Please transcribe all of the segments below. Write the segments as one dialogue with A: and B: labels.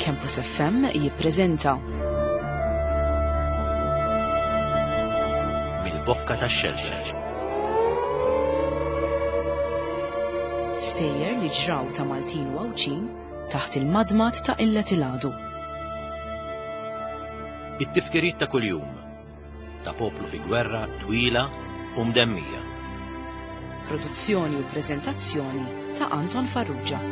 A: Campus FM jippreżenta
B: Mill-bokka tax-xelxel.
A: Stejjer li ġraw ta' Maltin u Għawdxin taħt il-madmad ta' illet il-għadu.
B: It-tifkiriet ta' kuljum ta' poplu fi gwerra twila u mdemmija.
A: Produzzjoni u preżentazzjoni ta' Anton Farrugia.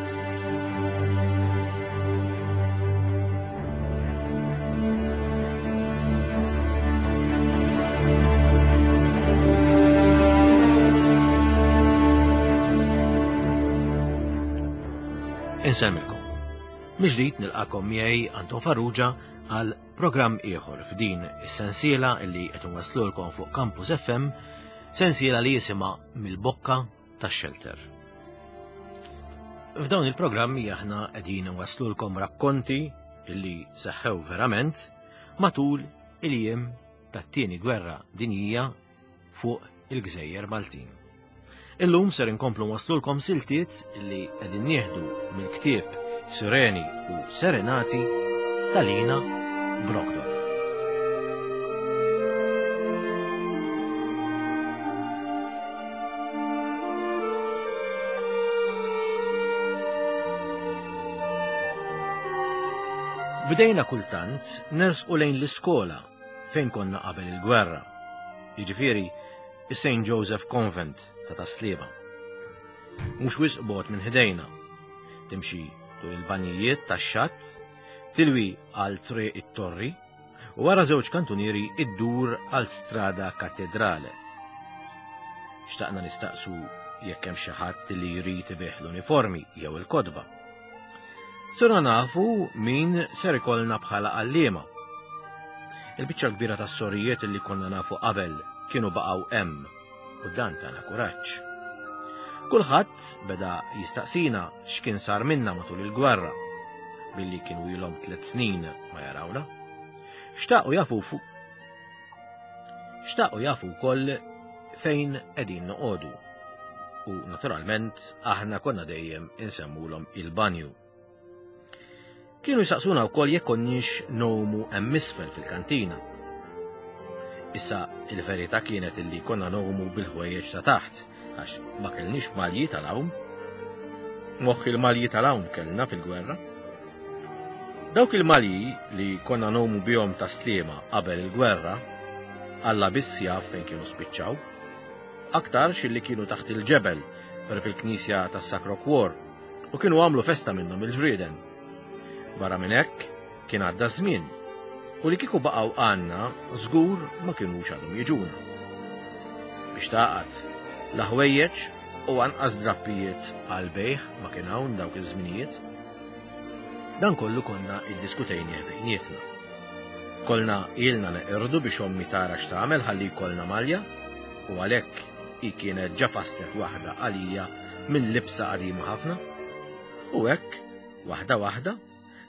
B: Insemmilkom. Mill-ġdid nilqakom miegħi Anton Farrugia għal Programm ieħor f'din is-sensiela li qed inwasslulkom fuq Campus FM, sensiela li jisimha Mill-Bokka tax-Xelter. F'dawn il-programmi aħna qegħdin inwasslulkom rakkonti li seħħew verament matul il-jiem tat-tieni gwerra dinjija fuq il-gżejjer Maltin. Illum ser inkomplu nwaslulkom siltiet li qegħdin nieħdu mill-ktieb Sireni u Serenati ta' Lina Brogdorf. Bdejna kultant nersqu lejn l-iskola fejn konna qabel il-gwerra. Jiġifieri is-St. Joseph Convent ta' Tas-Sliema. Mhux wisq bogħod minn ħdejna. Timxi tul il-banjijiet tax-xatt, tilwi għal Triq it-Torri u wara żewġ kantunieri iddur għal Strada Kattedrale. Xtaqna nistaqsu jekk hemm xi ħadd li jrid ibih l-uniformi jew il-kotba. Sirna nafu min ser ikollna bħala għalliema. Il-biċċa l-kbira tas-sorijiet li konna nafu qabel kienu baqgħu hemm u dan tana kuraġġ. Kulħadd beda jistaqsina x'kien sar minna matul il-gwerra billi kienu ilhom tliet snin ma jarawna. Xtaqu jafu fuq Xtaqu jafu wkoll fejn qegħdin noqogħdu. U naturalment aħna konna dejjem insemmulhom il-banju. Kienu jsaqsuna wkoll jekk konniex nomu hemm isfel fil-kantina. Issa il-verità kienet illi konna nomu bil-ħwejjeġ ta' taħt għax ma kellniex malji tal-għawm. Moħħ il-malji tal-għawm kellna fil-gwerra. Dawk il-malji li konna nomu bihom ta' Sliema qabel il-gwerra, Alla biss jaf fejn kienu spiċċaw. Aktarx illi kienu taħt il-ġebel qrib il-knisja tas-Sacro Cuor u kienu għamlu festa minnhom il-ġrieden. Barra minn hekk, kien għadda ż-żmien u li kieku baqgħu għandna żgur ma kinux għadhom jiġuna. Biex tagħqad, la ħwejjeġ u anqas drappijiet għal bejħ ma kien hawn dawk iż-żminijiet. Dan kollu konna iddiskutejnieh bejnietna. Kolna ilna neqirdu biex ommi tara x'tagħmel ħalli jkollna malja u għalhekk hi kienet ġa fasslet waħda għalija minn libsa qadima ħafna. U hekk, waħda waħda,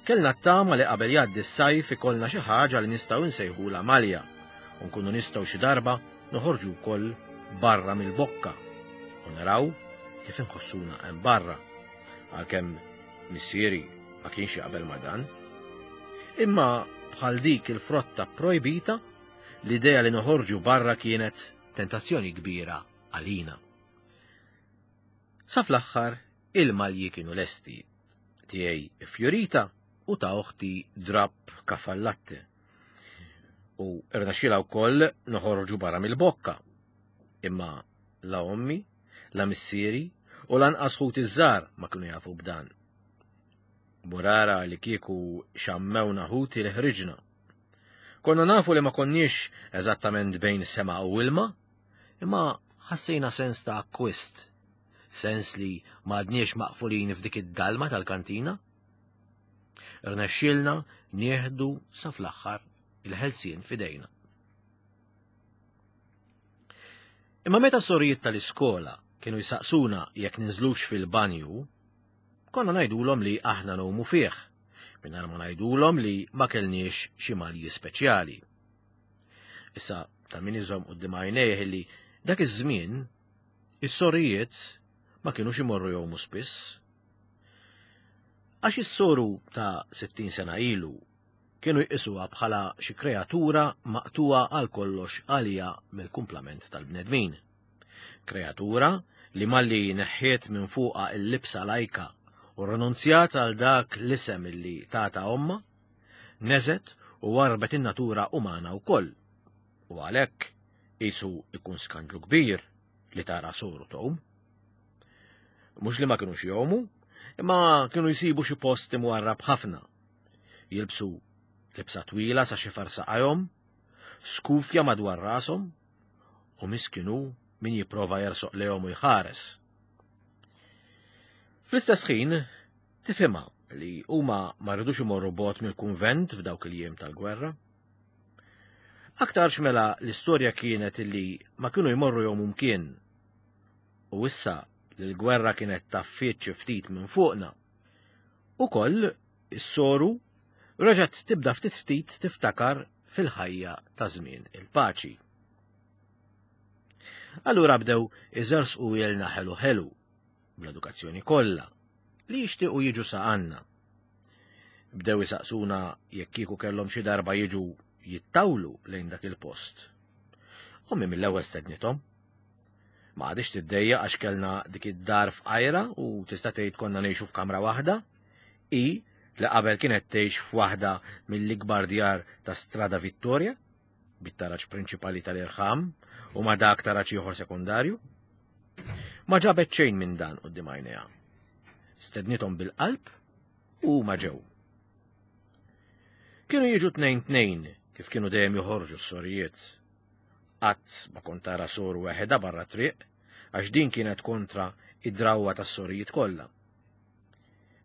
B: kellna t-tama li qabel jgħaddi s-sajf ikollna xi ħaġa li nistgħu nsejħulha malja u nkunu nistgħu xi darba noħorġu wkoll barra mill-bokka u naraw kif inħossuna hemm barra. Għalkemm missieri ma kienx jaqbel ma' dan. Imma bħal dik il-frotta projbita, l-idea li noħorġu barra kienet tentazzjoni kbira għalina. Sa fl-aħħar il-malji kienu lesti, tiegħi fjorita u ta' oħti drapp kafallatte. U rnexxielha wkoll noħorġu barra mill-bokka. Imma la ommi, la missieri u lanqas ħuti ż-żgħar ma kienu jafu b'dan. Burara li kieku xammewna ħuti li ħriġna. Konna nafu li ma konniex eżattament bejn sema u ilma, imma ħassejna sens ta' akkwist, sens li ma għadniex maqfulin f'dik id-dalma tal-kantina. Rnexxielna nieħdu sa fl-aħħar il-ħelsien f'idejna. Imma meta sorijiet tal-iskola kienu jsaqsuna jekk ninżlux fil-banju, konna ngħidulhom li aħna ngħumu fih, mingħajr ma ngħidulhom li ma kellniex xi malji speċjali. Issa ta' min iżomm quddiem għajnejh li dak iż-żmien is-sorijiet ma kinux imorru jgħumu spiss. Għax is-soru ta' 60 sena ilu kienu jqisuha bħala xi kreatura maqtugħa għal kollox għaliha mill-kumplament tal-bnedmin. Kreatura li malli neħħiet minn fuqha l-libsa lajka u rrinunzjat għal dak l-isem illi tata ommha, neżgħet u warrbet in-natura umana wkoll. U għalhekk qisu jkun skandlu kbir li tara soru tgħum. Mhux li ma kinux jgħumu, imma kienu jsibu xi post imwarrab ħafna. Jilbsu libsa twila sa xifer saqajhom, skufja madwar rashom, u miskinu min jipprova jersoq lejhom u jħares. Fl-istess ħin, tifhimha li huma ma rridux imorru bogħod mill-kunvent f'dawk il-jiem tal-gwerra. Aktarx mela l-istorja kienet illi ma kienu jmorru jgħumu mkien U issa li l-gwerra kienet taffiet xi ftit minn fuqna, ukoll is-soru reġgħet tibda ftit ftit tiftakar fil-ħajja ta' żmien il-paċi. Allura bdew iżersqu ilna ħelu ħelu, bl-edukazzjoni kollha, li jixtiequ jiġu sa għandna. Bdew isaqsuna jekk kieku kellhom xi darba jiġu jittawlu lejn dak il-post. Ommi mill-ewwel stednithom. Ma għadix tiddejja għax kellna dik id-dar f'qajra u tista' tgħid konna ngħixu f'kamra waħda. I li qabel kienet tgħix f'waħda mill-ikbar djar ta' Strada Vittoria, bit-taraġ prinċipali tal-irħam u ma' dak taraġ ieħor sekondarju. Ma ġabet xejn minn dan quddiem għajnejha. Stednithom bil-qalb u ma ġew. Kienu jiġu tnejn tnejn kif kienu dejjem joħorġu s-sorijiet. Qatt ma kont tara soru weħedha barra triq, għax din kienet kontra id-drawwa tas-sorijiet kollha.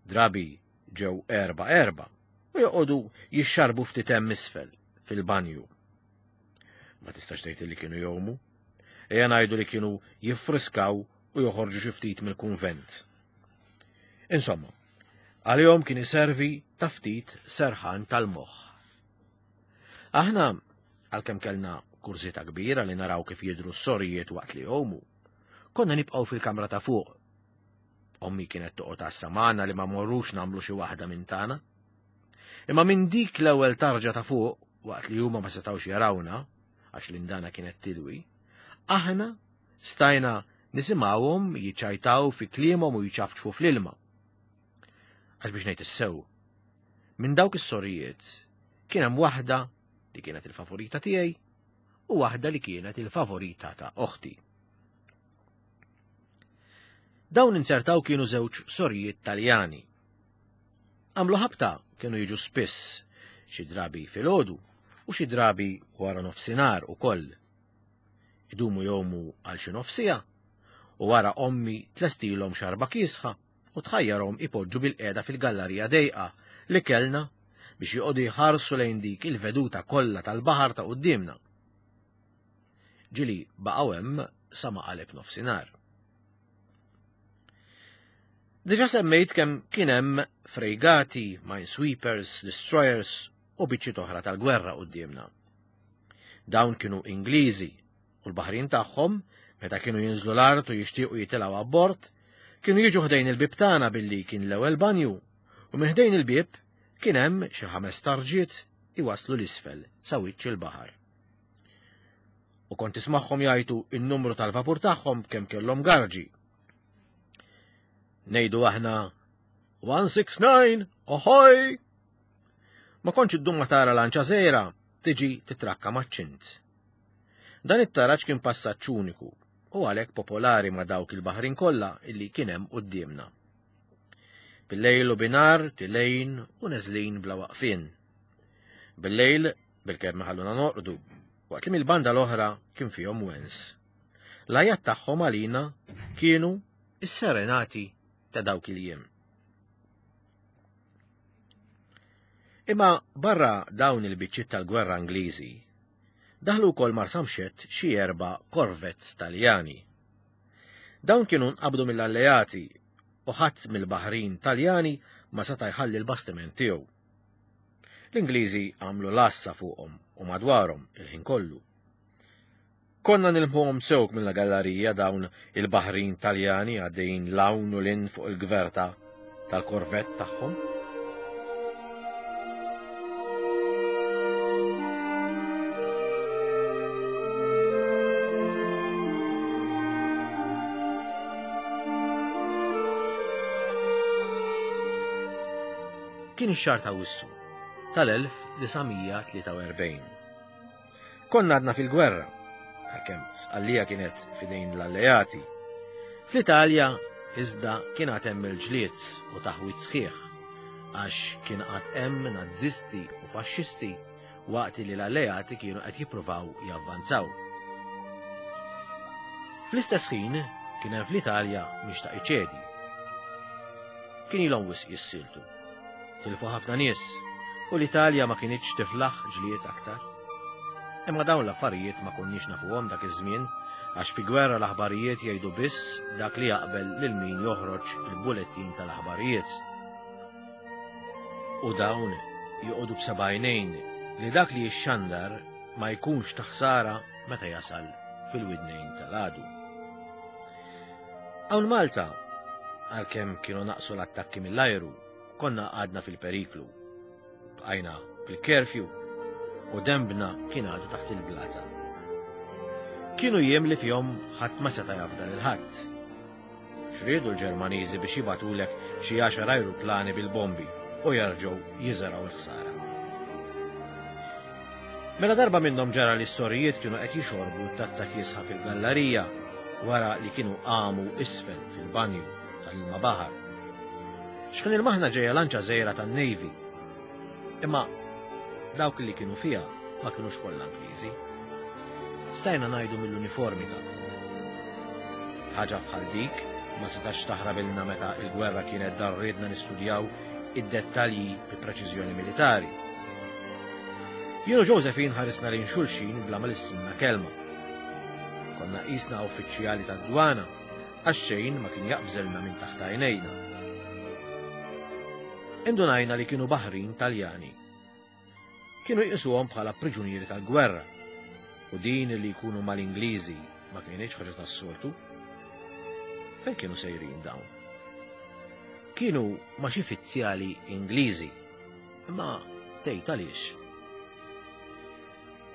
B: Drabi ġew erba' erba' u joqogħdu jixxarbu ftit hemm isfel fil-banju. Ma tistax tgħid li kienu jgħumu. Ejja ngħidu li kienu jiffriskaw u joħorġu xi ftit mill-kunvent. Insomma, għalihom kien iservi ta' ftit serħan tal-moħħ. Aħna, għalkemm kellna kurżità kbira li naraw kif jidhru s-sorijiet waqt li jgħumu, konna nibqgħu fil-kamra ta' fuq. Ommi kienet toqgħod għassa magħna li ma morrux nagħmlu xi waħda minn tagħna. Imma minn dik l-ewwel tarġa ta' fuq, waqt li huma ma setgħux jarawna, għax l-indana kienet tilwi, aħna stajna nisimgħuhom jiċċajtaw fi kliemhom u jċafċfu fl-ilma. Għax biex ngħid is-sew, minn dawk is-sorijiet kien hemm waħda li kienet il-favorita tiegħi u waħda li kienet il-favorita ta' oħti. Dawn insertaw kienu żewġ sorijiet Taljani. Għamlu ħabta kienu jiġu spiss, xi drabi filgħodu u xi drabi wara nofsinhar ukoll. Idumu jomu għal xi nofsija u wara ommi tlestilhom xarba kiesħa u tħajjarhom ipoġġu bilqiegħda fil-gallarija dejqa li kellna biex joqogħdu jħarsu lejn dik il-veduta kollha tal-baħar ta' quddiemna. Ġieli baqgħu hemm sa ma qaleb nofsinhar. Diġa semmejt kemm kien hemm frejgati, minesweepers, destroyers u biċċiet oħra tal-gwerra quddiemna. Dawn kienu Ingliżi u l-baħrin tagħhom, meta kienu jinżlu l-art u jixtiequ jitilgħu abbord, kienu jiġu ħdejn il-bieb tagħna billi kien l-ewwel banju, u minn ħdejn il-bieb kien hemm xi ħames tarġiet iwasslu l-isfel sa wiċċ il-baħar. U kont tismagħhom jgħajtu in-numru tal-vapur tagħhom kemm kellhom garġi. Ngħidu aħna 169, oħoj! Ma kontx iddum ma tara lanċa żgħira tiġi titrakka maċ-ċint. Dan it-taraġ kien passaġġ uniku u għalhekk popolari ma' dawk il-baħrin kollha illi kien hemm quddiemna. Billejl u binar, tilejn u neżlin bla waqfien. Billejl bilkemm iħalluna norqdu, waqt li mill-banda l-oħra kien fihom wens. L-għajat tagħhom għalina kienu is-serenati ta' dawk il-jiem. Imma barra dawn il-biċċiet tal-gwerra Ingliżi, daħlu wkoll Marsamxett xi erba' korvettes Taljani. Dawn kienu nqabdu mill-Alleati u ħadd mill-baħrin Taljani ma seta' jħalli l-bastiment tiegħu. L-Ingliżi għamlu l-għassa fuqhom u madwarhom il-ħin kollu. Konna nilmħuhom sewk mill-gallarija dawn il-baħrin Taljani għaddejjin 'l hawn u 'l hinn fuq il-gverta. tal-korvett tagħhom. Kien ix-xahar ta' Wissu tal-1943. Konna għadna fil-gwerra, għalkemm Sqallija kienet fidejn l-alleati. Fl-Italja iżda kien għad hemm il-ġlied u taħwid sħiħ, għax kien għad hemm Nazisti u Faxxisti waqt li l-alleati kienu qed jippruvaw javvanzaw. Fl-istess ħin kien hemm fl-Italja mhix ta' iċedi. Kien ilhom wisq jissiltu. Tilfu ħafna nies u l-Italja ma kinitx tiflaħ ġlied aktar. Imma dawn l-affarijiet ma konniex nafuhom dak iż-żmien għax fi gwerra l-aħbarijiet jgħidu biss dak li jaqbel lil min joħroġ il-bulettin tal-aħbarijiet. U dawn joqogħdu b'sebgħinejn li dak li jixxandar ma jkunx ta' ħsara meta jasal fil-widnejn tal-għadu. Hawn Malta, għalkemm kienu naqsu l-attakki mill-ajru, konna għadna fil-periklu. Bqajna bil-curfew u dembna kien għadu taħt il-blata. Kienu jiem li fihom ħadd ma seta' jafda lil ħadd. X'riedu l-Ġermaniżi biex jibagħtulek xi għaxar ajruplani bil-bombi u jerġgħu jiżergħu l-ħsara. Mela darba minnhom ġara li s-sorijiet kienu qed jixorbu tazza kiesħa fil-gallarija wara li kienu qamu isfel fil-banju tal-ilma baħar. X'kien il-maħna ġejja lanċa żgħira tan-Navy. Imma dawk li kienu fiha ma kinux kollha Ingliżi. Stajna ngħidu mill-uniformi tagħhom. Ħaġa bħal dik ma setax taħrabilna meta il-gwerra kienet darriedna nistudjaw id-dettalji bi preċiżjoni militari. Jien u Josephine ħarisna lejn xulxin bla ma lissinna kelma. Konna qisna uffiċjali tad-dwana għax xejn ma kien jaqbżelna minn taħt għajnejna. Indunajna li kienu baħrin Taljani. Kienu jqisuhom bħala priġunieri tal-gwerra u din li jkunu mal-Ingliżi ma kienx ħaġa tas-soltu. Fejn kienu sejrin dawn? Kienu ma' xi fizzjali Ingliżi, imma tgħid għaliex.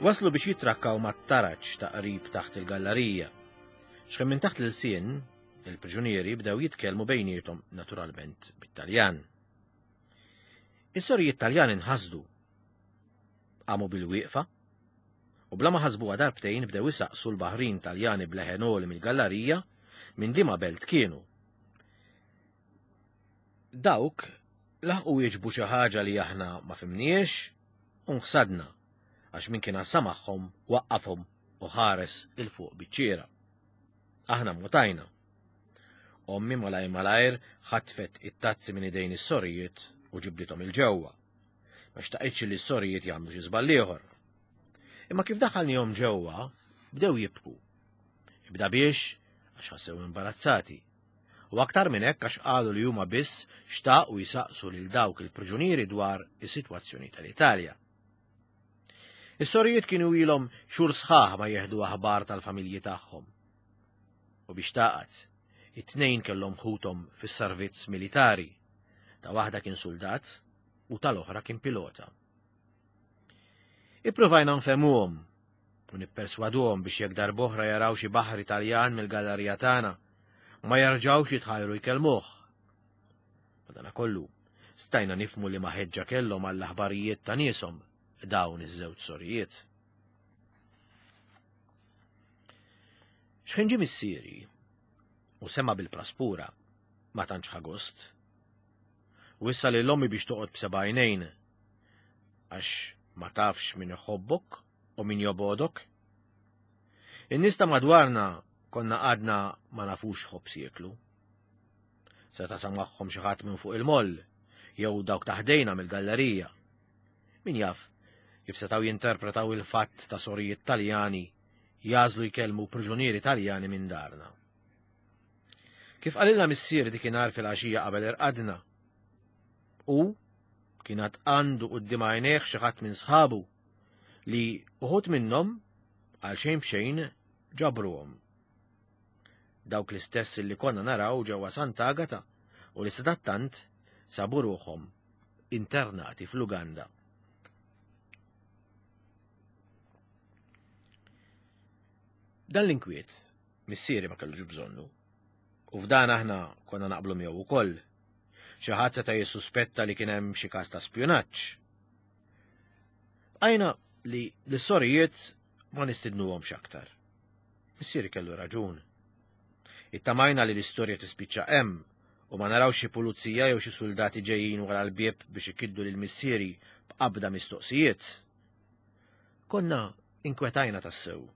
B: Waslu biex jitrakkaw mat-taraġ ta' qrib taħt il-gallarija. X'kemm minn taħt l-ilsien, il-priġunieri bdew jitkellmu bejniethom naturalment bit-Taljan. Is-sorijiet Taljani nħasdu. Qamu bil-wieqfa u bla ma ħasbuha darbtejn bdew isaqsu l-baħrin Taljani b'leħen għoli mill-gallarija minn liema belt kienu. Dawk laħqu wieġbu xi ħaġa li aħna ma fimniex u nħsadna għax min kien għassa magħhom waqqafhom u ħares 'il fuq biċ-ċiera. Aħna mmutajna. Ommi malajr malajr ħatfet it-tazzi minn idejn is-sorijiet u ġibdithom 'il ġewwa. Ma xtaqitx li s-sorijiet jagħmlu xi żball ieħor. Imma kif daħħalnihom ġewwa, bdew jibku. Ibda biex għax ħassew imbarazzati. U aktar minn hekk għax qalu li huma biss xtaqu jisaqsu lil dawk il-priġunieri dwar is-sitwazzjoni tal-Italja. Is-sorijiet kienu ilhom xhur sħaħ ma jieħdu aħbar tal-familji tagħhom. U biex taqgħad, it-tnejn kellhom ħuthom fis-servizz militari. Ta' waħda kien suldat u tal-oħra kien pilota. Ippruvajna nfehmuhom u nipperswaduhom biex jekk darb'oħra jaraw xi baħar Italjan mill-gallerija tagħna, ma jerġgħux jitħajru jkellmuh. Madanakollu, stajna nifhmu li ma ħeġġa kellhom għall-aħbarijiet ta' nieshom dawn iż-żewġ sorijiet. X'ħin ġie missieri u sema bil-praspura ma tantx ħa gost. Wissa lil ommi biex toqgħod b'seba' għajnejn għax ma tafx min iħobbok u min jobgħodok. In-nies ta' madwarna konna għadna ma nafux ħobż jieklu. Seta' samagħhom xi ħadd minn fuq il-moll jew dawk ta' ħdejna mill-gallerija. Min jaf kif setgħu jinterpretaw il-fatt ta' sorijiet Taljani jagħżlu jkellmu priġunieri Taljani minn darna. Kif qalilna missier dikinhar fil-għaxija qabel irqadna. U kien għad għandu quddiem għajnejh xi ħadd minn sħabu li uħud minnhom għal xejn b'xejn ġabruhom. Dawk l-istess li konna naraw ġewwa Sant'Agata u li sadattant sabu ruħhom internati fl-Uganda. Dan l-inkwiet missieri ma kellux bżonnu. U f'dan aħna konna naqblu miegħu wkoll. Xi ħadd seta' jissuspetta li kien hemm xi każ ta' spjunaġġ. Bqajna li l-sorijiet ma nistidnuhomx aktar. Missieri kellu raġun. Ittamajna li l-istorja tispiċċa hemm u ma narawx xi pulizija jew xi suldati ġejjin wara l-bieb biex ikiddu lil missieri b'qabda mistoqsijiet. Konna inkwetajna tassew.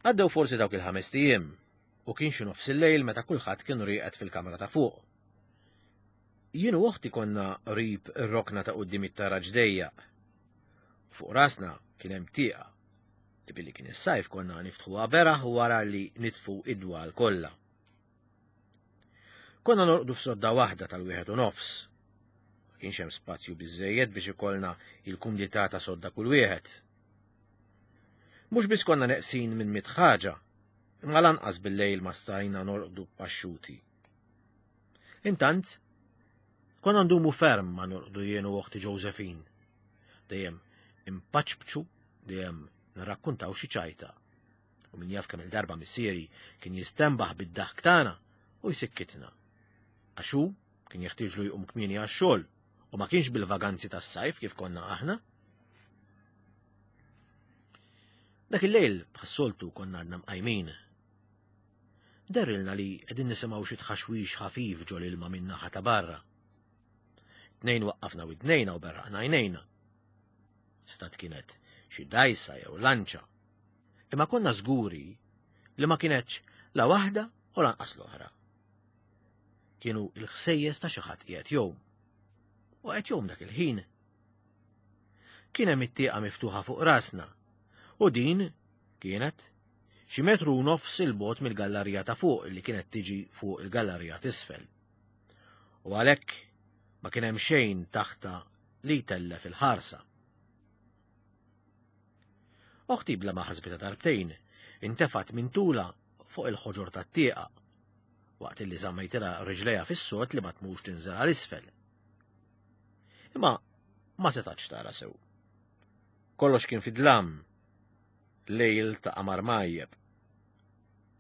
B: Għaddew forsi dawk il-ħamest ijiem u kien xi nofs il-lejl meta kulħadd kien rieqed fil-kamra ta' fuq. Jien u oħti konna qrib ir-rokna ta' quddiem it-taraġ dejjaq. Fuq rasna kien hemm tieqa li billi kien is-sajf konna niftħuha beraħ wara li nitfu id-dwal kollha. Konna norqdu f'sodda waħda tal-wieħed u nofs. Ma kienx hemm spazju biżejjed biex ikollna il-kumdità ta' sodda kull wieħed. Mhux biss konna neqsin minn mit ħaġa, imma lanqas bil-lejl ma stajna norqdu paxxuti. Intant, konna ndumu ferm ma norqdu jien u oħti Josephine. Dejjem impaċbċu, dejjem nirrakkuntaw xi ċajta. U min jaf kemm il-darba missieri kien jistenbaħ bid-daħk tagħna u jsikkitna. Għax hu kien jeħtieġlu jqum kmieni għax-xogħol u ma kienx bil-vaganzi tas-sajf kif konna aħna. Dak il-lejl bħas-soltu konna għadna mqajmin. Derilna li qegħdin nisimgħu xi tħaxwix ħafif ġol ilma minn naħa ta' barra. Tnejn waqqafna widnejna u berraqna għajnejna. Setat kienet xi dajsa jew lanċa. Imma konna żguri li ma kienetx la waħda u lanqas l-oħra. Kienu il-ħsejjes ta' xi ħadd qiegħed jgħum. U qed jgħum dak il-ħin. Kien hemm it-tieqa miftuħa fuq rasna u din kienet xi metru u nofs il-bot mill-gallarija ta' fuq li kienet tiġi fuq il-gallarija t'isfel. U għalhekk ma kien hemm xejn taħta li jtellef il-ħarsa. Oħti bla ma ħasbitha darbtejn, intefgħet minn tula fuq il-ħoġor tat-tieqa, waqt li żammejtilha riġlejha fis-sod li ma tmux tinżel għal isfel. Imma ma setatx tara sew. Kollox kien fid-dlam, lejl ta' qamar majjeb.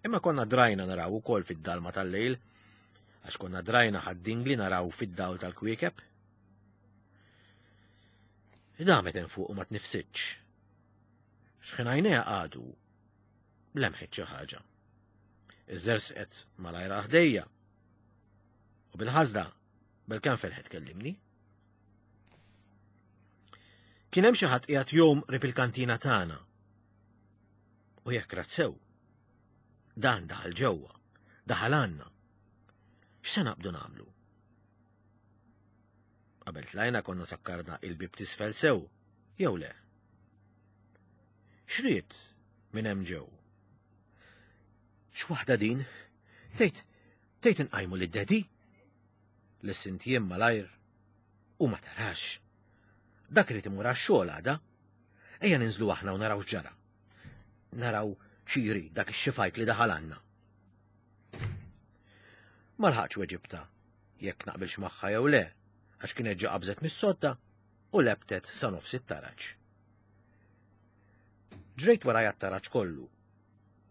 B: Imma konna drajna naraw ukoll fid-dalma tal-lejl, għax konna drajna ħad-dingli naraw fid-dawl tal-kwiekeb. Damet hemm fuq u ma tnifsitx. X'ħin għajnejha qagħdu, lemħet xi ħaġa. Iżżersqet malajr ħdejja. U bil-ħażda, bil-kemm felħet kellimni. Kien hemm xi ħadd qiegħed jom qrib il-kantina tagħna. U jekk rat sew, dan daħal ġewwa, daħal għandna. X'se naqbdu nagħmlu? Qabel tlajna konna sakkarna il-bib tisfel sew, jew le? X'ried minn hemm ġew? X'waħda din? Tgħid tgħid inqajmu lid-dedi? Lissint jien malajr u ma tarax. Dak irid imur għax-xogħol għada. Ejja ninżlu aħna u naraw x'ġara. Naraw xi jrid dak ix-xifajk li daħal għandna. Ma lħaqx weġibta jekk naqbilx magħha jew le, għax kienet ġa qabżet mis-sodda u lebtet sa nofs it-taraġ. Ġrejt warajha t-taraġ kollu.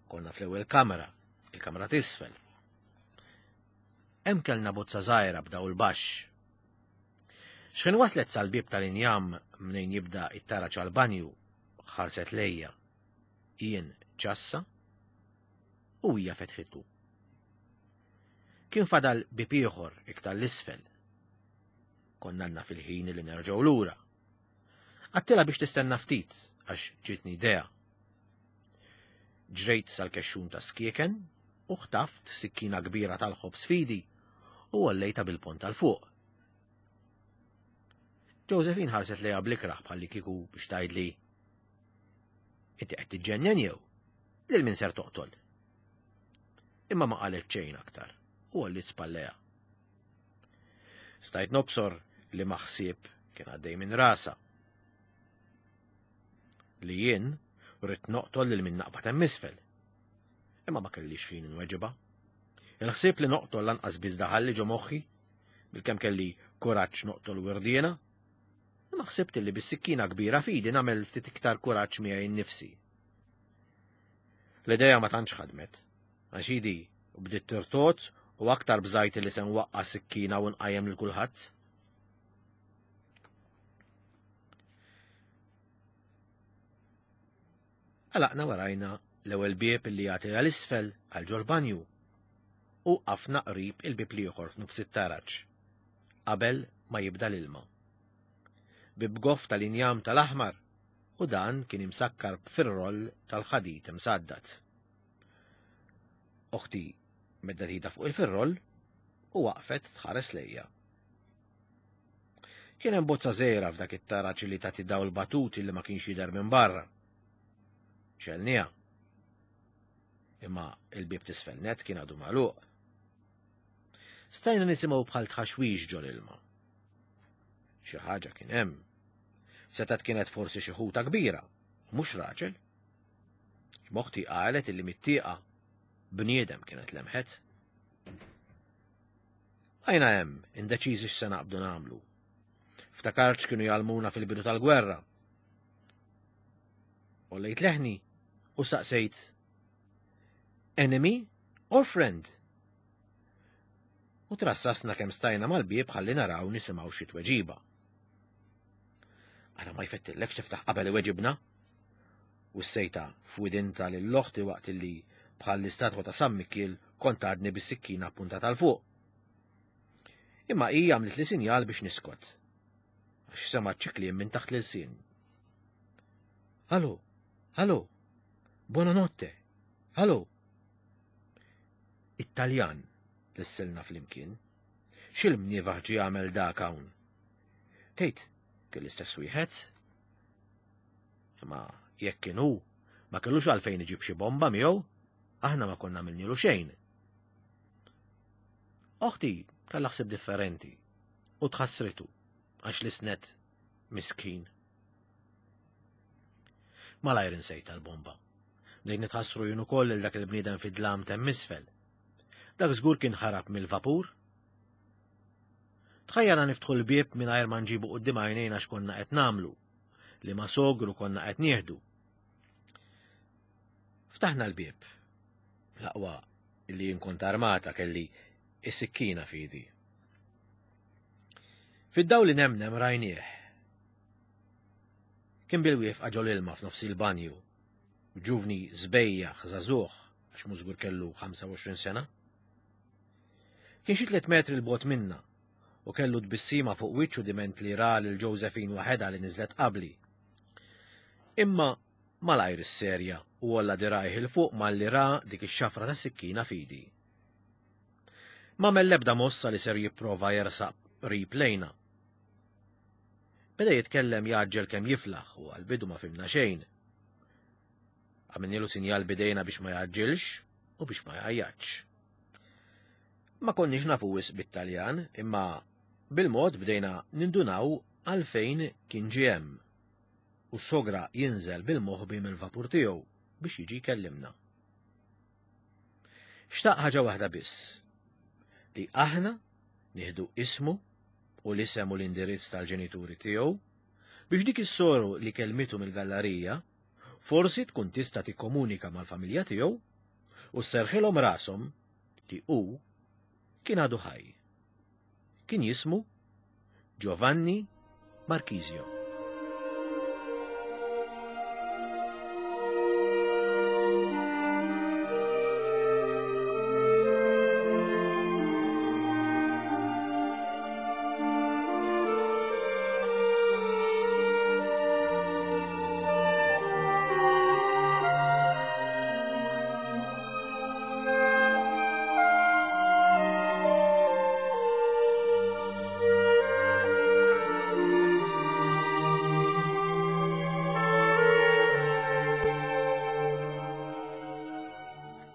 B: Konna fl-ewwel kamra, il-kamra t'isfel. Hemm kellna bozza żgħira b'dawl baxx. X'ħin waslet sal-bieb tal-injam mnejn jibda it-taraġ għall-banju, ħarset lejja. Jien ċassa u hija fetħitu. Kien fadal bieb ieħor iktar l-isfel. Konna għandna fil-ħin li nerġgħu lura. Għattilha biex tistenna ftit għax ġietni idea. Ġrejt sal-kexxun ta' skieken u ħtaft sikkina kbira tal-ħobż fidi u għollejta bil-pont tal fuq. Josephine ħarset lejha blikraħ bħalli kieku biex tgħidli Inti qed tiġġennen jew? Lil min ser toqtol? Imma ma qalet xejn aktar u għolliet spallejha. Stajt nobsor li maħsieb kien għaddej minn rasa. Li jien rrid noqtol lil min naqbad hemm isfel. Imma ma kellix ħin inweġibha. Il-ħsieb li noqtol lanqas biss daħalli ġo moħħi, bilkemm kelli kuraġġ noqtol wirdiena, imma ħsibt li bis-sikkina kbira fidi nagħmel ftit iktar kuraġġ miegħi nnifsi. L-idea ma tantx ħadmet, għax idi bdiet tirtot u aktar bżajt li se nwaqqa' sikkina u nqajjem lil kulħadd. Għalaqna warajna l-ewwel bieb li jagħti għal isfel għal ġol-banju u qafna qrib il-bieb l-ieħor f'nofs it-taraġ qabel ma jibda l-ilma. Bieb goff tal-injam tal-aħmar u dan kien imsakkar b'firroll tal-ħadid imsaddad. Oħti meddet idha fuq il-firroll u waqfet tħares lejja. Kien hemm bozza żgħira f'dak it-taraġ li tagħti dawl batut li ma kienx jidher minn barra. Xelniha. Imma il-bieb t'isfel net kien għadu magħluq. Stajna nisimgħu bħal tħaxwix ġol ilma. Xi ħaġa kien hemm. Setgħet kienet forsi xi ħuta kbira, u mhux raġel. Moħti qalet illi mit-tieqa bniedem kienet lemħet. Bqajna hemm, indeċiżi x'se naqbdu nagħmlu. Ftakart x'kienu jgħallmuna fil-bidu tal-gwerra. Għollejt leħni u saqsejt Enemy or friend? U trassasna kemm stajna mal-bieb ħalli naraw nisimgħu xi tweġiba. Ara ma jfettillekx tiftaħ qabel iweġibna. U s-sejta f'widinta lil oħti waqt li bħal l-istatwa ta' San Mikiel kont għadni bis-sikkina puntata 'l fuq. Imma hi għamlet li sinjal biex niskot. Għax semgħet xi kliem minn taħt l-ilsien. Allo, allo, buonanotte, allo. It-Taljan lissilna flimkien. X'il-mnievaħ ġie għamel dak hawn? Tgħid, kien l-istess wieħed? Imma jekk kien hu, ma kellux għalfejn iġib xi bomba miegħu, aħna ma konna għamilnilu xejn. Oħti kellha ħsieb differenti u tħassritu għax l-isnet miskin. Malajr insejt tal-bomba. Bdejt nitħassru jien ukoll lil dak il-bniedem fid-dlam temm isfel. Dak żgur kien ħarab mill-vapur. Tħajjana niftħu l-bieb mingħajr ma nġibu quddiem għajnejna x'konna qed nagħmlu. li ma sogru konna qed nieħdu. Ftaħna l-bieb. L-aqwa li jien kont armata kelli is-sikkina fidi. Fid-dawl li nemnem rajnieh. Kien bil-wieqfa ġol ilma f'nofs il-banju. Ġuvni żbejjaħ żagħżugħ għax mużgur kellu 25 sena. Kien xi tliet metri l-bot minna u kellu tbissima fuq wiċċu diment li ra lil Josephine waħedha li niżlet qabli. Imma malajr isserja u għolla dirgħajh 'il fuq malli ra dik ix-xafra ta' sikkina f'idi. M'għamel l-ebda mossa li ser jipprova jersaq qrib lejna. Beda jitkellem jgħaġġel kemm jiflaħ u għall-bidu ma fhimna xejn. Għamilnielu sinjal b'idejna biex ma jgħaġġilx u biex ma jgħajjatx. Ma konniex nafu wisq bit-Taljan, imma bil-mod bdejna nindunaw għalfejn kien ġie hemm u sogra jinżel bil-moħbi mill-vapur tiegħu biex jiġi jkellimna. Xtaq ħaġa waħda biss, li aħna nieħdu ismu u l-isem u l-indirizz tal-ġenituri tiegħu biex dik is-soru li kellmitu mill-gallarija forsi tkun tista' tikkomunika mal-familja tiegħu u sserħilhom rashom li hu kien għadu ħaj. Kien jismu Giovanni Marchisio.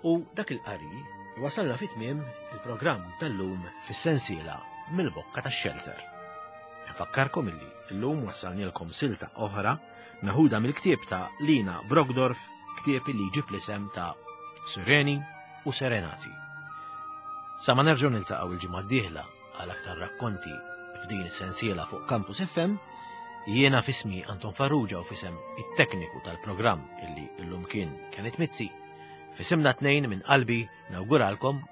B: U dak il-qari wasalna fit tmiem il-programm tal-lum fis-sensiela mill-bokka tax-xelter. Nfakkarkom illi llum wassalnielkom silta oħra meħuda mill-ktieb ta' Lina Brockdorff, ktieb li jġib l-isem ta' Sireni u Serenati. Sa ma nerġgħu niltaqgħu il-ġimgħa d-dieħla għal aktar rakkonti f'din is-sensiela fuq Campus FM, jiena fismi Anton Farrugia u fisem it-tekniku tal-programm illi llum kien Kenneth Mizzi, fisimna tnejn minn qalbi nawguralkom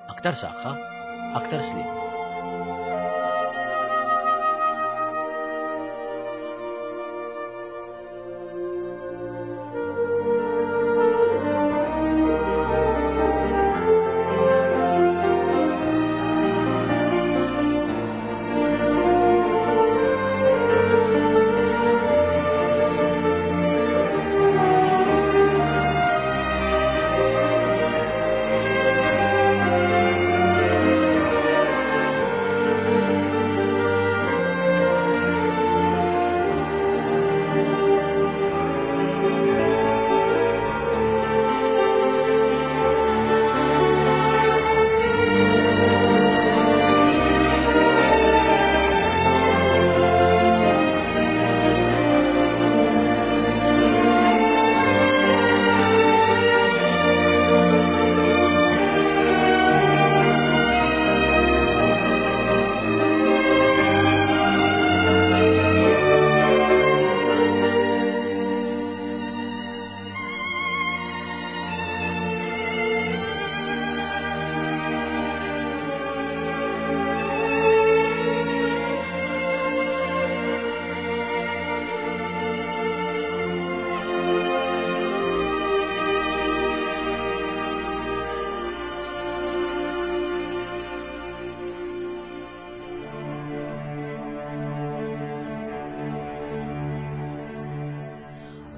B: Aktar saħħa, aktar sliem.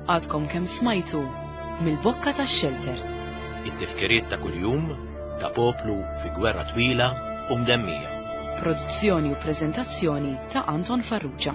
A: Għadkom kemm smajtu mill-bokka tax-xelter.
B: It-tifkiriet ta' kuljum ta' poplu fi gwerra twila u mdemmija.
A: Produzzjoni u preżentazzjoni ta' Anton Farrugia.